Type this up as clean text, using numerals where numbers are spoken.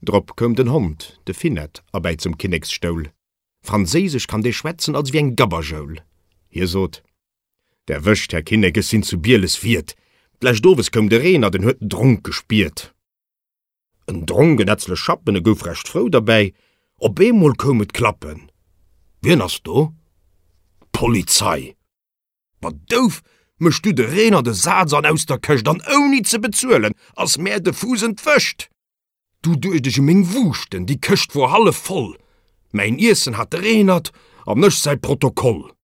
Drop koum den Hond, de Finett, erbäi zum Kinneksstoul. Franséisesch kann dee schwätzen als ewéi eng Gabberjoul. Hie sot, Der wëscht, Här Kinnek, ech sinn zu Bieles Wiert. D'lescht Owes koum de Renert, en huet den Dronk gespiert. En dronk en etzlech Schappen, e gouf recht frou derbäi. Op eemol koum et klappen, Wien ass do? D'Polizei! Wa douf mécht du de Renert e Saz an aus der Këscht, an ouni ze bezuelen ass mär de Fuuss entwëscht. Du duecht ech u meng Wuuschten, déi Këscht wor hallef voll, mäin Iessen hat de Renert an ech säi Protokoll.